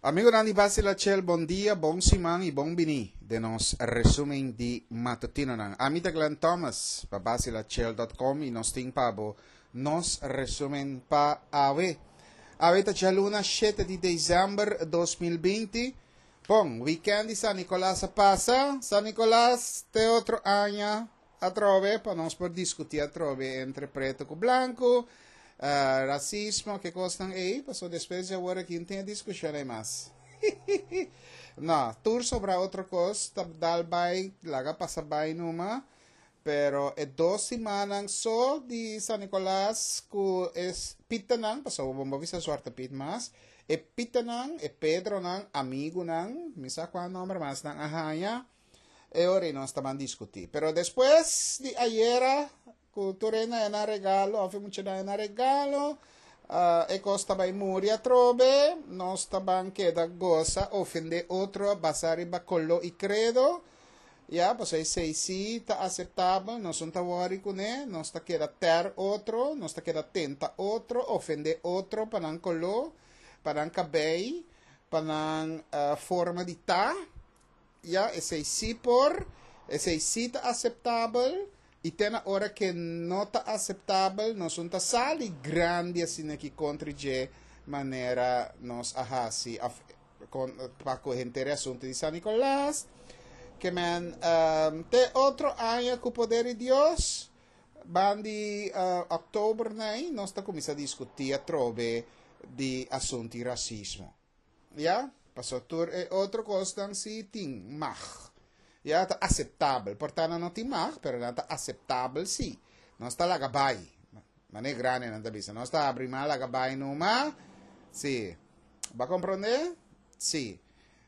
Amigonan di Basila Chel, bon dia, bon siman y bon bini den nos resumen di matutinonan. Ami ta Glenn Thomas pa basilachel.com y nos tin pa bo nos resumen pa awe. Awe ta djaluna 7 di december 2020. Bon, weekend di San Nicolas a pasa. San Nicolas te otro aña atrobe pa nos por discuti atrobe entre preto cu blanco, racismo, ke cosnan ey, paso despues di awor aki no tin e discusion ey mas. No, tur sobra otro cos ta dal bay, laga pasa bay numa, pero e dos simannan so di San Nicolas cu e pitanan, pasobra bo no bisa Zwarte Piet mas, e pitanan, e Pedronan, amigunan, mi sa cua nomber mas nan a haya, E ora ei nos ta ban diskutí. Pero despues di ayera, ku tur hende a nan regalo, òf e muchanan a nan regalo, e kos ta bai muri atrobe, nos ta ban keda gosa, ofendé otro basá riba koló i kredo. Ya, pasobra esei sí ta aseptabel, nos no ta wòri kuné, nos ta keda tèr otro, nos ta keda tenta otro, ofendé otro pa nan koló, pa nan kabei, pa nan forma di ta. Ya, esei sí por, esei sí ta aseptabel, i te na ora ke no ta aseptabel, nos un ta sali grandi asina aki kontra dje manera nos a hasi òf kon pa ku henter e asuntu di San Nicolas. Ke men te otro aña ku poder di Dios, ban di òktober nei nos ta kuminsá diskutí atrobe di asuntu di rasismo. Ya, paso tur e otro kosnan si tin mag. Ya, ta aseptabel. Por ta nan no tin mag, pero nan ta aseptabel si. Nos ta laga bai. Mane grandenan ta bisa. Nos ta abri man laga bai numa. Si. Bo a komprondé? Si.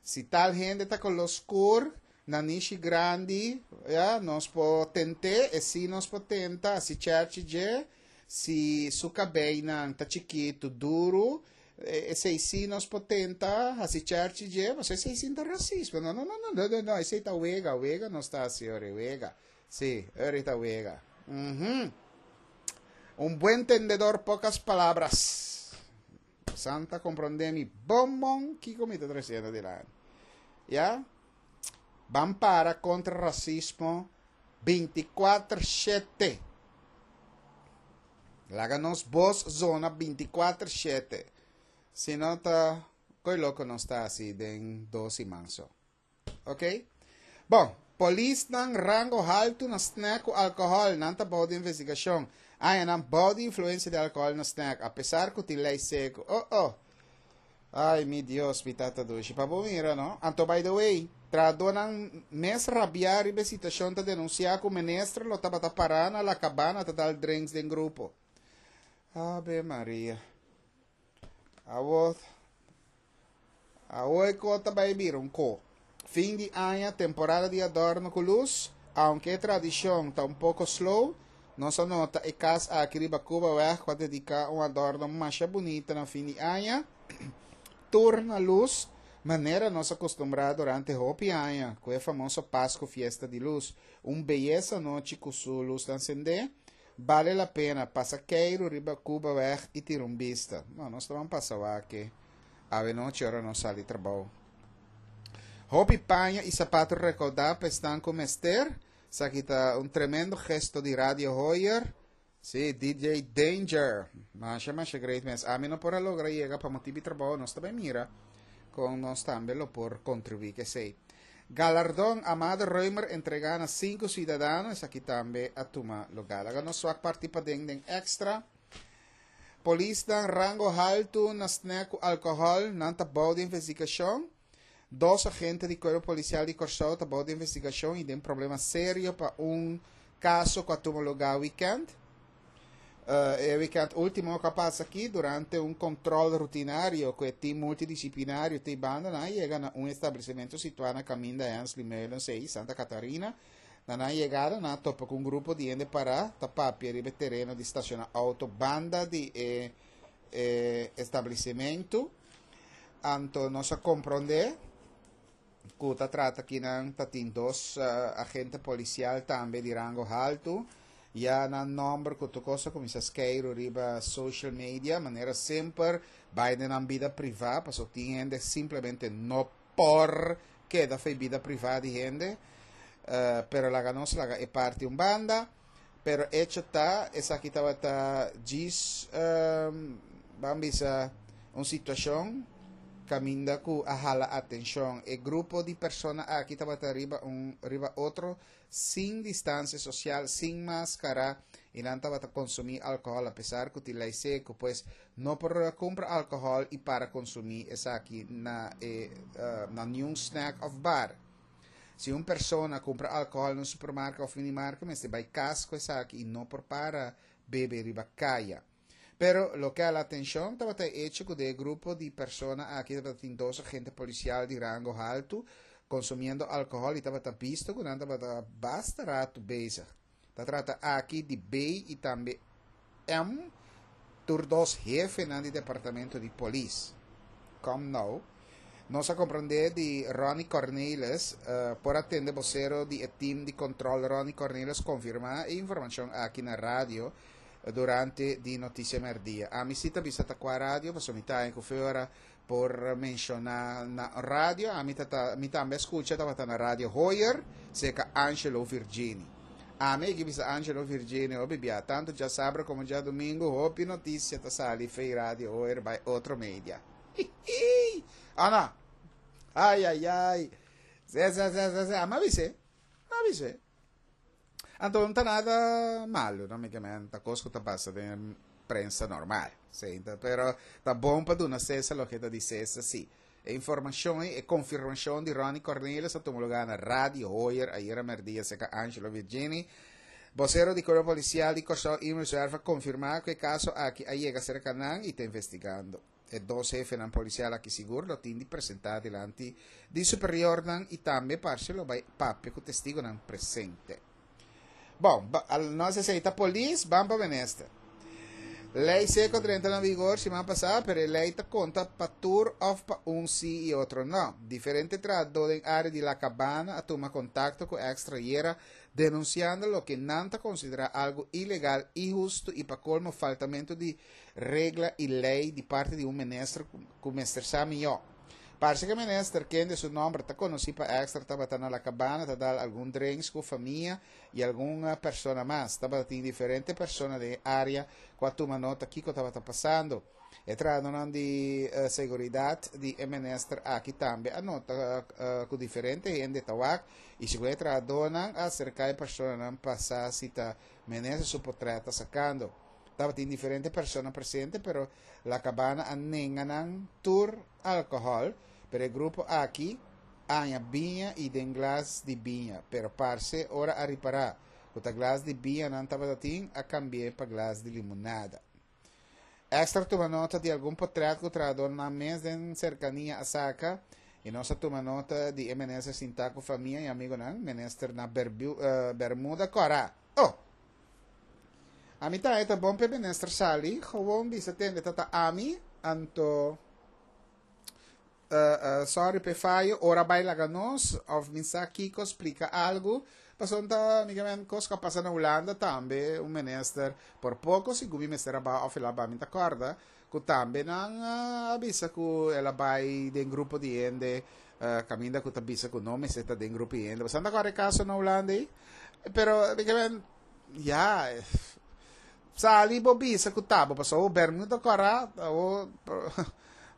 Si tal hende ta koló skur, nanishi grandi, ya, nos por tent'é, e si nos por tenta, hasi chèrchi dje. Si su kabeinan ta chikitu, duru, esei sí nos por tenta hasi chèrchi dje, pasobra esei sí ta rasismo. No, no, no, no, no, no, esei ta wega, wega nos ta hasi ora, wega. Sí, ora ta wega. Uhum. Un buen tendedor, pocas palabras. Santa comprende mi bon bon kiko mi ta treciendo dilanti. Ya? Ban para contra racismo 24 shete. Laga nos bos zona 24 shete. Si no ta koy loko nos ta hasi den dos siman so. Ok? Bon, polisnan rango haltu na snack ku alkohòl, nan ta bou di investigashon. Aña nan bou di influensia di alkohòl na snack, apesar ku tin lei seku. Oh oh. Ay mi Dios, mi tata dushi. Pa bo mira no. Anto by the way, trahadónan mes rabiá riba e situashon ta denunsiá ku minister lo tabata pará na La Cabana ta dal drinks den grupo. Ave Maria. Awor, awor e ko ta bai bira un ko. Fin di aña, temporada di adorno ku lus. Aunke e tradishon ta un poko slow, nos a nota e kas aki riba Cubaweg ku a dediká un adorno masha bunita na fin di aña. Tur na lus, manera nos a kustumbrá durante hopi aña ku e famoso Pasku Fiesta di Lus. Un beyesa nochi ku su lusnan sendé. Bale la pena pasa keiru riba Cubaweg i tira un bista. No, nos ta ban pasa wak awe nochi ora nos sali trabou. Hopi paña i sapato rekoudá pa esnan ku mester. Esaki ta un tremendo gesto di Radio Hoyer. Sí, DJ Danger. Masha, masha great mes. Ami no por a logra yega pa motibu di trabou. Nos ta bai mira kon nos tambe lo por kontribuí ku esei. Galardon Amado Römer entregá na sinku siudadano. Esaki tambe a tuma lugá. Laga nos wak parti paden den Extra. Polisnan rango haltu na snack ku alkohòl, nan ta bou di investigashon. Dos agente di Kuerpo Polisial di Kòrsou ta bou di investigashon i den problema serio pa un kaso ku a tuma lugá wikènt. E wikènt último ku a pasa aki, durante un kòntròl rutinario ku e tim multidisiplinario te banda, nan a yega na un establesimentu situá na kaminda Hensley Meulen 6, Santa Catarina. Na nan yegada nan a topa ku un grupo di hende pará ta papia riba e tereno di stashoná outo banda di e e establesimentu. Anto nos a komprondé ku ta trata kinan ta tin dos agente polisial tambe di rango haltu. Ya nan nòmber ku tur kos a kuminsá skeiru riba social media, manera semper bai den nan bida privá, pasobra tin hende simplemente no por keda for e bida privá di hende. Pero laga nos laga e parti un banda. Pero echo ta, esaki tabata djis, ban bisa, un situashon kaminda ku a hala atenshon. E grupo di persona aki tabata riba un riba otro sin distansia sosial, sin maskara i nan tabata konsumí alkohòl apesar ku tin lei seku. Pues no por kumpra alkohòl i para konsumí esaki na e na niun snack òf bar. Si un persona kumpra alkohòl na un supermarka òf minimarka mester bai kas ku esaki i no por para bebe riba kaya. Pero loke a la atenshon tabata e echo ku den e grupo di persona aki tabata tin dos agente polisial di rango haltu konsumiendo alkohòl i tabata bisto ku nan tabata basta ratu bezig. Ta trata aki di B i tambe M, tur dos hefenan di departamento di polis. Kom nou. Nos a komprendé di Ronnie Cornelis, por a tende bosero di e team di kontrol Ronnie Cornelis konfirmá e informashon aki na radio durante di Noticia Merdia. Ami si ta bisa ta kua radio, pasobra mi ta haña ku feora por menshoná na radio. Ami ta ta mi tambe a skucha tabata na Radio Hoyer serka Angelo Virgini. Ami a bisa Angelo Virgini hopi bia tantu djasabra komo djadumingu hopi notisia ta sali fei Radio Hoyer bai otro media. Hihi! Ana! Ai ai ai! Ze ze ze ze ze ami a bis'é, mi a bis'é. Anto no ta nada malu, no? Mi ke men ta kos ku ta pasa den prensa normal. Sí, pero ta bon pa duna Cesar loke ta di Cesar, sí. E informashon ei, e konfirmashon di Ronnie Cornelis a tuma lugá na Radio Hoyer ayera mèrdia serka Angelo Virgini. Bosero di Kuerpo Polisial di Kòrsou Imre Zwerf a konfirmá ku e kaso aki a yega serka nan i ta investigando. E dos hefenan polisial aki sigur lo tin di presentá dilanti di superiornan i tambe parce lo bai papia ku testigonan presente. Bon, nos esei ta polis, ban pa minister. Lei seko drenta na vigor siman pasá, pero e lei ta konta pa tur òf pa un sí i otro no. Diferente trahadó den área di La Cabana a tuma kontakto ku Extra ayera denunsiando loke nan ta konsiderá algu ilegal, inhustu i pa kolmo faltamentu di regla i lei di parti di un minister ku mester sa mihó. Parse ku e minister, kende su nòmber ta konosí pa Extra, tabata na La Cabana ta dal algun drinks ku famia i algun persona mas. Tabata tin diferente persona den e área ku a tuma nota kiko tabata pasando. E trahadónan di seguridat di e minister aki tambe a nota ku diferente hende ta wak i segun e trahadónan a aserká e personanan pa sa si ta minister su potrèt ta sakando. Tabatin diferente persona presente, pero La Cabana a nenga nan tur alcohol, pero e grupo aki a haña biña y den glas di biña, pero parce ora a ripara cu ta glas di biña nan tabata tin, a cambi'e pa glas di limonada. Extra tuma nota di algun potret cu trahadornan mes den cercania a saca y nos a tuma nota di e minister sinta cu famia y amigonan, minister na Bermuda cora. Oh! Ami ta e ta bon p'e minister sali, gewoon bisa tende ta ta ami, anto sorry p'e fayo, ora bai laga nos, of mi sa kiko splika algu, pasobra ta mi ke men kos ku a pasa na Hulanda tambe, un minister por poko sigun mi mester a baha of el a baha, mi ta kòrda ku tambe nan a bisa ku el a bai den grupo di hende kaminda ku ta bisa ku no mester ta den grupo di hende, pasobra nan ta kòrda e kaso na Hulanda ei, pero mi ke men. Ya, sali bo bisa ku ta bo pasobra bo bermuda kòrá, bo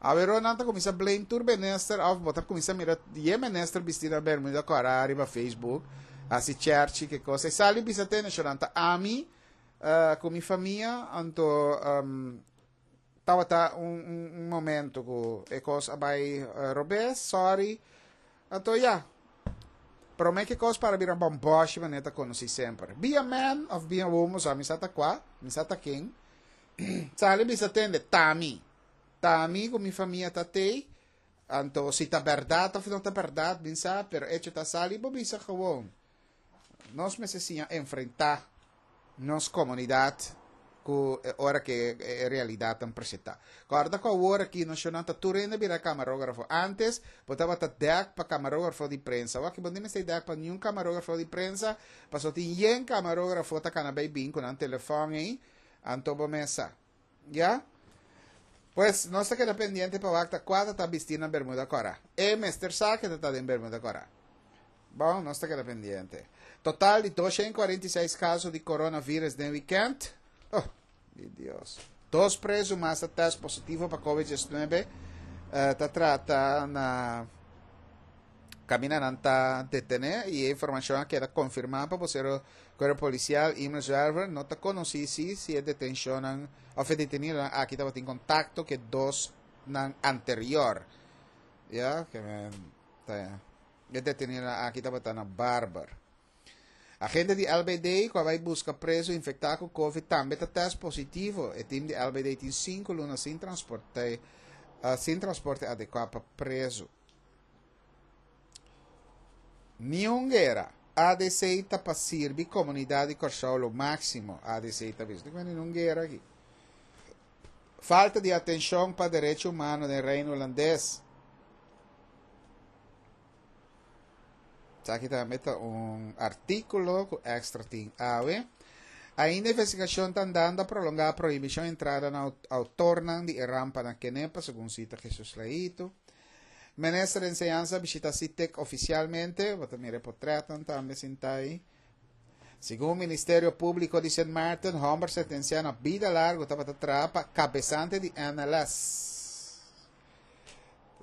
awero nan ta kuminsá blame tur minister òf bo ta kuminsá mira e minister bistí na bermuda kòrá riba Facebook hasi chèrchi ke kos ei sali bisa te nashonal ta ami ku mi famia anto tabata un un momento ku e kos a bai robes sorry Anto ya, prome ke kos para bira bòmbòshi manera ta konosí semper. Be a man of be a woman, so mi sa ta kua, mi sa ta ken. Sali bisa tende, ta mi. Ta mi ku mi famia ta tei. Anto si ta bèrdat of no ta bèrdat, bin sa, pero echo ta sali bo bisa gewoon. Nos mester siña enfrentá nos komunidat. ku ora ku e realidatnan presentá. Kòrda ku awor aki nos shonnan ta tur hende bira kamarógrafo. Ántes bo tabata dèk pa kamarógrafo di prensa. Awor aki bo no mester dèk pa niun kamarógrafo di prensa pasobra tin yen kamarógrafo ta kana bai bin ku nan telefòn ei, anto bo mesa. Ya? Pues nos ta keda pendiente pa wak ta kua ta ta bistí na bermuda kòrá. E mester sa ke ta ta den bermuda kòrá. Bon, nos ta keda pendiente. Total di 246 kaso di coronavirus den weekend. Oh, mi Dios. Dos preso mas a test positivo pa COVID-19. Uh, ta trata na camina nan ta detene y e informacion a keda confirma pa vocero cuerpo policial Imre Zwerver. No ta conoci si si e detencionnan of e detenidonan aki tabatin contacto ke dos nan anterior. Ya, ke men ta E detenidonan aki tabata na Barber. Agente di LBD ku a bai buska prezu infektá ku covid tambe ta tèst positivo. E tim di LBD tin sinku luna sin transporte sin transporte adekuá pa prezu. Niun guera. ADC ta pa sirbi komunidat di Kòrsou lo máksimo, ADC ta bisa. Dikon niun guera aki? Falta di atenshon pa derecho humano den Reino Hulandes. Esaki tambe ta un artíkulo ku Extra tin awe. Ainda investigashon ta andando a prolongá prohibishon entrada na outornan di e rampa na Kenepa, segun sita Jesus Leito. Minister di Enseñansa bishita SITEC ofisialmente, bo ta mira e potretnan tambe sinta ei. Segun Ministerio Públiko di Sint Maarten, hòmber sentensiá na bida largu tabata traha pa kabesante di NLS.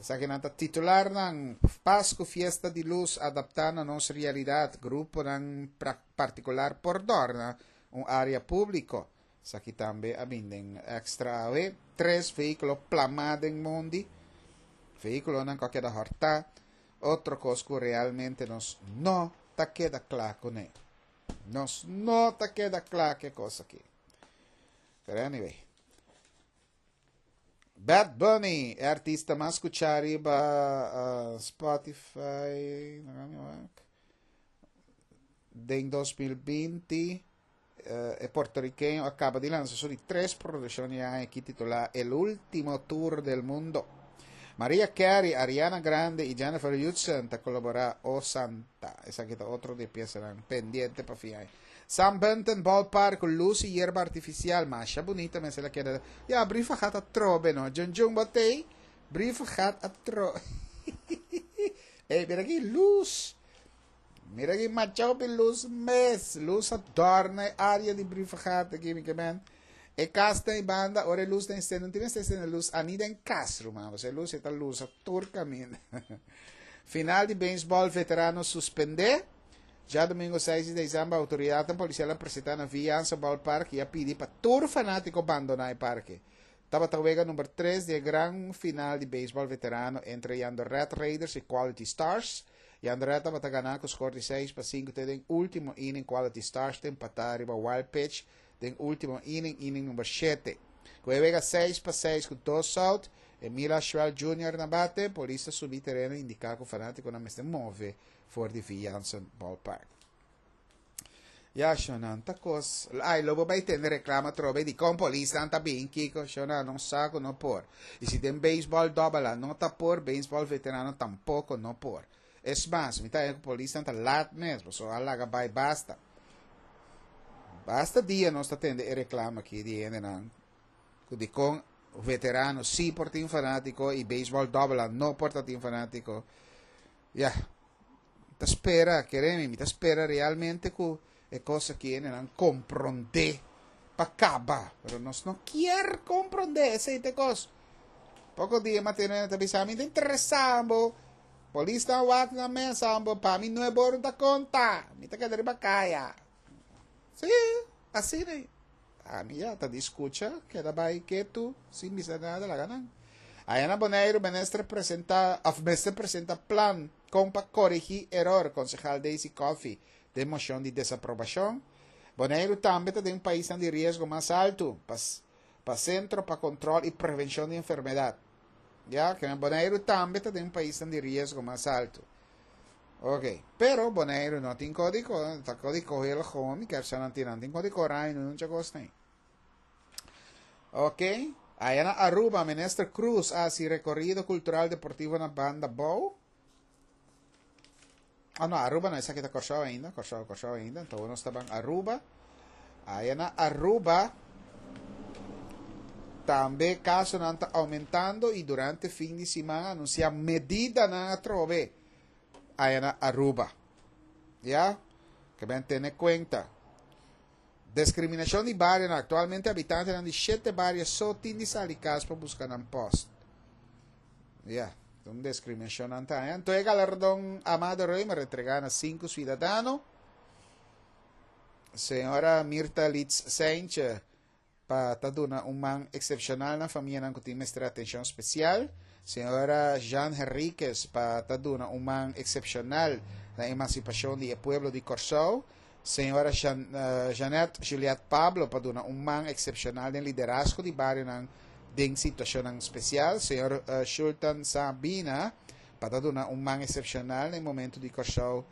Esakinan ta titularnan, Pasku Fiesta di Lus adaptá na nos realidat, Gruponan partikular por dòrna un área públiko. Esaki tambe a bin den Extra awe. Tres vehíkulo plamá den mondi. Vehíkulonan ku a keda hòrtá. Otro kos ku realmente nos no ta keda kla kuné. Nos no ta keda kla ku e kos aki. Pero anyway. Bad Bunny, e artista mas skuchá riba uh, Spotify den 2020. Uh, e puertorriqueño a kaba di lansa su di tres produkshon di aña aki titulá El Último Tour del Mundo. Mariah Carey, Ariana Grande i Jennifer Hudson ta kolaborá O Santa. Esaki ta otro di e piesanan pendiente pa fin aña. Sam Bunton Ballpark ku lus i yerba artifisial. Masha bunita mester a keda. Ya, Brievengat a trobe no. Djun djun bo tei. Brievengat a tro. Ey, mira ki lus. Mira ki macha hopi lus mes. Lus a dòrna e área di Brievengat aki, mi ke men. E kas ta ei banda, ora e lus ta encende, no tin mester encende lus ani den kas, ruman. Pasobra e lus e ta lusa tur kaminda. Final di beisbòl veterano suspendé. Djadumingu seis di desèmber outoridatnan polisial a presentá na Villanza Ballpark i a pidi pa tur fanátiko bandoná e parke. Tabata wega number tres di e gran final di beisbòl veterano entre Jandoret Raiders i Quality Stars. Jandoret tabata ganá ku skor di 6-5 te den último inning Quality Stars ta empatá riba wild pitch den último inning, inning number shete. Ku e wega 6-6 ku dos out, Emil Ashuel Junior na bate, polis ta subi tereno i indiká ku fanátikonan mester move for di Vi Jansen Ballpark. Ya, shonan ta kos. Ai, lo bo bai tende reklamo atrobe di kon polisnan ta bin kiko. Shonan, no sa ku no por. I si den beisbòl dòbel A no ta por, beisbòl veterano tampoko no por. Es mas, mi ta haña ku polisnan ta lat mes, pasobra a laga bai basta. Basta dia nos ta tende e reklamo aki di hendenan ku dikon veterano sí por tin fanátiko i beisbòl dòbel A no por ta tin fanátiko. Ya, mi ta spera, kere mi, mi ta spera realmente ku e kos aki hendenan komprondé pa kaba. Pero nos no kier komprondé, esei ta e kos. Poko dia mi a tene hende ta bisa mi, ta interesá bo, polisnan wak nan mes bo, pa mi nuebe ora no ta konta, mi ta keda riba kaya. Sí, asina. Ami ya ta di skucha, keda bai ketu sin bisa nada, laga nan. Aya na Boneiru minister presenta of mester presenta plan kon pa korigí eror, konsehal Daisy Coffie den moshon di desaprobashon. Boneiru tambe ta den paisnan di riesgo mas altu pa pa Sentro pa Kontrol i Prevenshon di Enfermedat. Ya, ke Boneiru tambe ta den paisnan di riesgo mas altu. Ok, pero Boneiru no tin kódigo, ta kódigo heel gewoon, mi ker sa nan tin, nan tin kódigo oranje, no nunca kos nei. Ok. Aya na Aruba, Minister Cruz a hasi rekorido kultural deportivo na Banda Bou. Ah no, Aruba no, esaki ta Kòrsou ainda, Kòrsou, Kòrsou ainda. Anto nos ta ban Aruba. Aya na Aruba tambe kasonan ta aumentando i durante fin di siman a anunsiá medidanan atrobe aya na Aruba. Ya, ke ben tene kuenta. Deskriminashon di barionan, Aktualmente habitantenan di shete bario so tin di sali kas pa buska nan post. Ya, ta un deskriminashon nan ta haña. Anto e galardon Amado Römer entregá na sinku suidadano. Señora Mirta Litz Seintje pa ta duna un man eksepshonal na famianan ku tin mester atenshon spesial. Señora Jean Henriquez pa ta duna un man eksepshonal na emansipashon di e pueblo di Kòrsou. Señora Jeanette Juliette Pablo pa duna un man eksepshonal den liderazgo di barionan den situashonnan spesial. Señor Shulton Sabina pa ta duna un man eksepshonal na e momentu di Kòrsou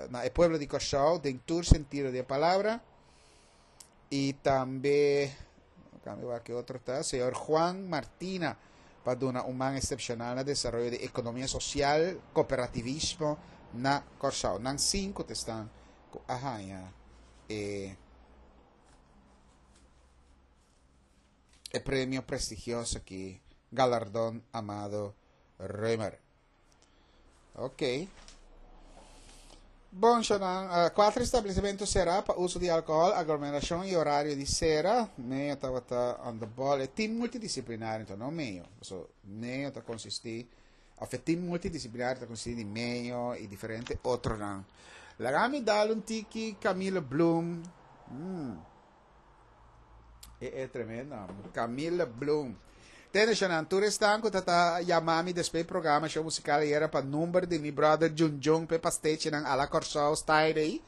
na e pueblo di Kòrsou den tur sentido di e palabra. Y tambe, cambio wak ke otro ta, señor Juan Martina pa duna un man excepcional na desaroyo di economia social, cooperativismo na Kòrsou. Nan sinku ta esnan ku a haña e e premio prestigioso aki, galardon Amado Römer. Ok. Bon, Shonan, uh, cuatro establecimento será pa uso di alcohol, aglomeracion y horario di sera. Meio tabata on the ball. E team multidisciplinario, então no meio. So, meio ta consisti, of e team multidisciplinario ta consisti di meio y diferente otronan. Laga mi dal un tiki Camilo Bloom. Mm. E e tremendo. Camille Bloom. Tene shonan, tur esnan ku ta ta yama mi despues programa show musical ayera pa number di mi brother Jun Jun pe pastechinan a la Kòrsou style ei.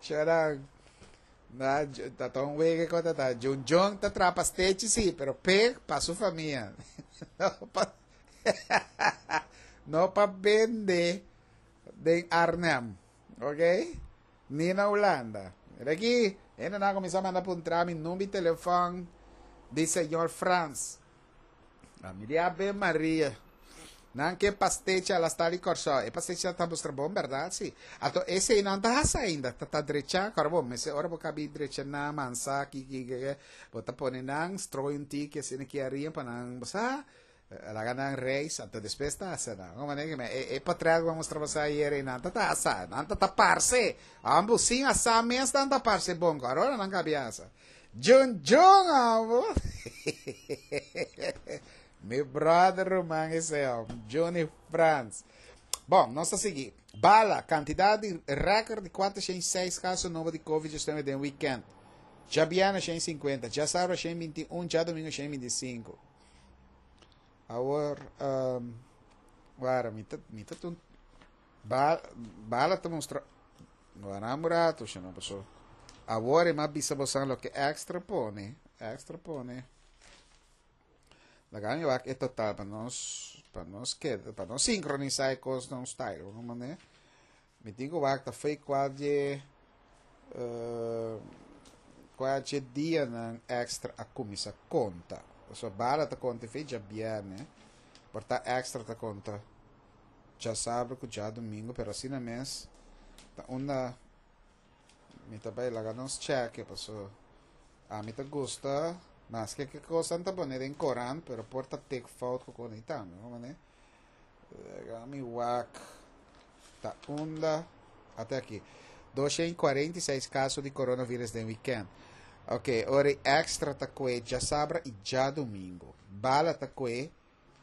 Shonan, na, ta ta un wege ku ta ta. Jun Jun ta traha pastechi si, pero pe pa su famia. No pa, no pa bende den Arnhem. Ok? Ni na Hulanda. Mira aki, hendenan a kuminsá manda puntra mi number di telefòn di señor Frans. A mi di Ave Maria. Nan ke pastechi a la sta di Kòrsou. E pastechi ta mustra bon bèrdat si. Anto esei nan ta hasi ainda, ta ta drechá. Kòrda bo, mester ora bo kabi drecha nan, mansa, ki ki ki, bo ta pone nan, stroi un tiki asina ki aria pa nan, bo sa. Laga nan reis, anto despues ta hasa nan. Un manera que e, e portret ku a mustra boso ayer ei, nan ta ta hasa, nan ta ta parse. Ambo sin hasa mes nan ta parse bon, ku ahora nan kabi hasa. Jun Jun ambo. Mi brother ruman ese om, Johnny Frans. Bon, nos ta sigui. Bala, kantidat di record di 406 kaso nobo di COVID-19 den weekend. Djabièrnè 150, djasabra 121, djadomingo 125. Awor, um, wara, mi ta, mi ta tun, ba, bala ta mustra, wara un rato, si no paso. Awor e ma bisa bosan loke extra pone, extra pone. Laga mi wak e total pa nos, pa nos keda, pa nos sincronisa e kos na un style, un manera. Mi tin ku wak ta fei kua dje kua dje dianan extra a kuminsá konta. Pasobra bala ta konta fei djabièrnè, por ta extra ta konta djasabra ku djadumingu, pero asina mes ta unda mi ta bai laga nos chèke pasobra ami ta gusta maske ke kosnan ta pone den korant pero por ta tek fout ku kos ei tambe, bo manera. Laga mi wak ta unda. Ate aki. 246 kaso di coronavirus den weekend. Ok, ora extra ta kue djasabra i djadomingo. Bala ta kue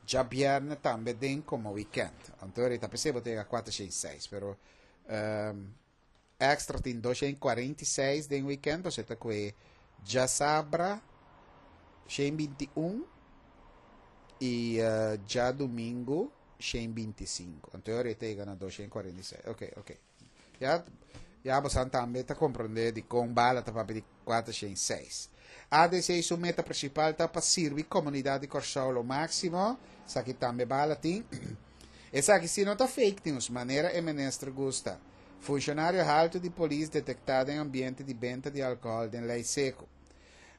djabierne tambe den komo weekend. Anto ora ta p'esei bo ta yega 406, pero um, Extra tin 246 den weekend, pasobra ta kue djasabra 121 i uh, djadumingu 125. Anto e ta yega na 246. Ok, ok. Ya, ya bosan tambe ta comprende di kon bala ta papia di 406. ADC su meta principal ta pa sirbi comunidad di Kòrsou lo máximo. Esaki tambe bala tin. Esaki si no ta fake news, manera e minister gusta. Funshonario haltu di polis detektá den ambiente di benta di alkohòl den Lei Seku.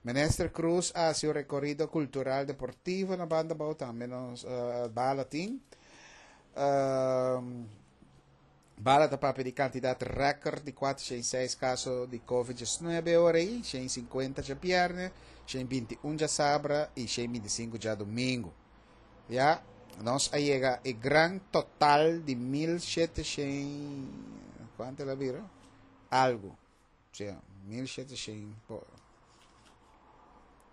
Minister Croes a hasi un rekorido kultural deportivo na Banda Bou tambe nos bala tin. Bala ta papia di kantidat rèkòrt di 406 kaso di Covid 19 ora ei, 150 djabièrnè, 121 djasabra i 125 djadumingu. Ya, nos a yega e gran total di 1700, kuantu el a bira? Algu. Sea, 1700,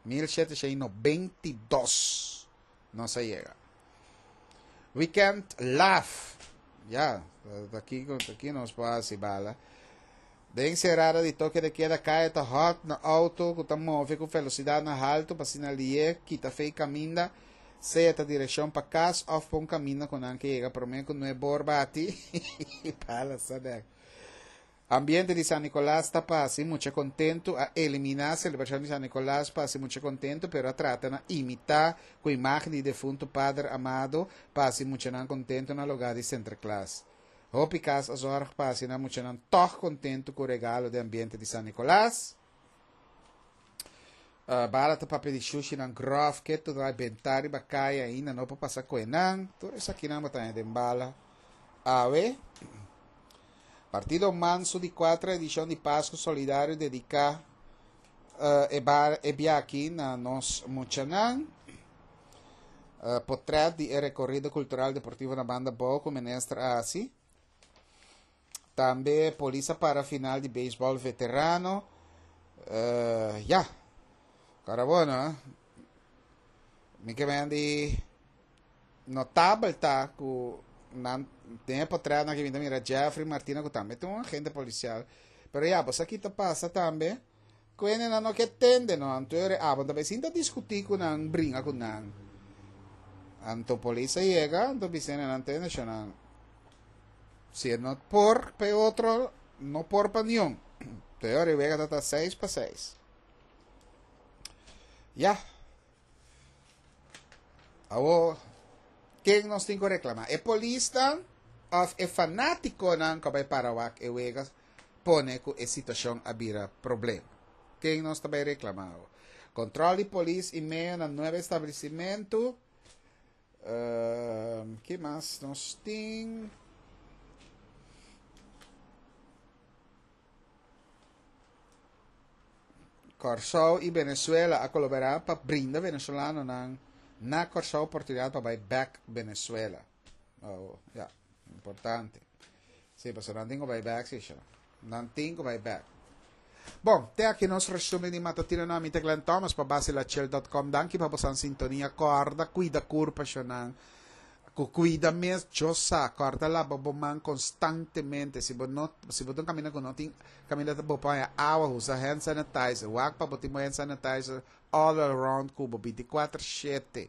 1792 nos a yega. We can't laugh. Ya, aki, aki nos por hasi bala. Den serada di toke de keda kaya ta hot na auto ku ta move ku velosidad na halto pa asina lié kita fei kaminda, sea ta direkshon pa kas of pa un kaminda ku nan ke yega promé ku nuebor bati. Bala sa bek. Ambiente di San Nicolas ta pa hasi mucha kontentu A eliminá selebrashon di San Nicolas pa hasi mucha kontentu pero a trata na imitá ku imágen di defuntu Pader Amado pa hasi muchanan kontentu na lugá di Sinterklaas. Hopi kas a zòrg pa hasi nan muchanan tòg kontentu ku regalo den ambiente di San Nicolas. Bala ta papia di shushinan gròf ketu ta bentá riba kaya ainda no por pasa koe nan. Tur esakinan bo ta haña den bala awe. Partido Mansu di kuater edishon di Pasku Solidario dediká e bar e biaha na nos muchanan. Potret di e rekorido kultural deportivo na Banda Bou ku minister a hasi. Tambe polis a para final di beisbòl veterano. Ya. Kara bueno, eh? Mi ke men di notabel ta ku nan den e potretnan aki mi ta mira Jeffrey Martina ku tambe ta un agente polisial. Pero ya, bo sa ki ta pasa tambe? Ku hendenan no ke tende no, anto e abo ta bai sinta diskutí ku nan, bringa ku nan. Anto polis a yega, anto bisa hendenan tende shonnan, si e no por pa e otro, no por pa niun. Anto e ora e wega ta ta 6-6. Ya. Awor, ken nos tin ku reklamá? E polisnan òf e fanátikonan ku a bai para wak e wega pone ku e situashon a bira problema? Ken nos ta bai reklamá awor? Kontròl di polis i medio na nuebe establesimentu. Ke mas nos tin? Kòrsou i Venezuela a kolaborá pa brinda venezolanonan na Kòrsou oportunidat pa bai bèk Venezuela. Oh, ya, importante. Sí, pasobra nan tin ku bai bèk, sí, sho. Nan tin ku bai bèk. Bon, te aki nos resumen di Matutino na mi ta Glenn Thomas pa basilachel.com. Danki pa bosan sintonia. Kòrda kuida kurpa, shonan. Ku kuida mes djo sa, kòrda laba bo man konstantemente. Si bo no, si bo ta un kaminda ku no tin kaminda ta bo por haña awa, usa hand sanitizer. Wak pa bo tin bo hand sanitizer all around ku bo bintikuater shete.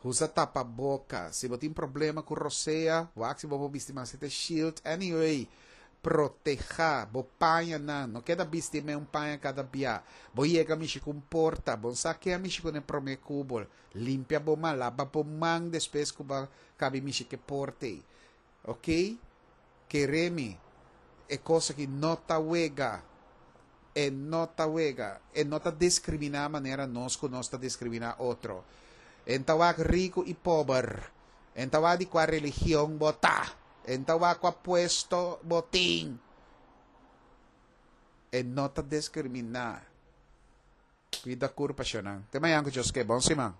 Usa tapaboka. Si bo tin problema ku rosea, wak si bo por bisti mas e shield. Anyway, protehá bo pañanan. No keda bisti me un paña kada bia. Bo yega mishi ku un porta, bo no sa ke a mishi kuné promé ku bo. Limpia bo man, laba bo man despues ku bo kabi mishi ke porta ei. Ok? Kere mi, e kos aki no ta wega. E no ta wega. E no ta diskriminá manera nos ku nos ta diskriminá otro. E n'ta wak riku i pober. E n'ta wak di kua religion bo ta. E n'ta wak kua puesto bo tin. E no ta diskriminá. Cuida curpa, shownan. Te mañan cu Dios ke. Bon siman.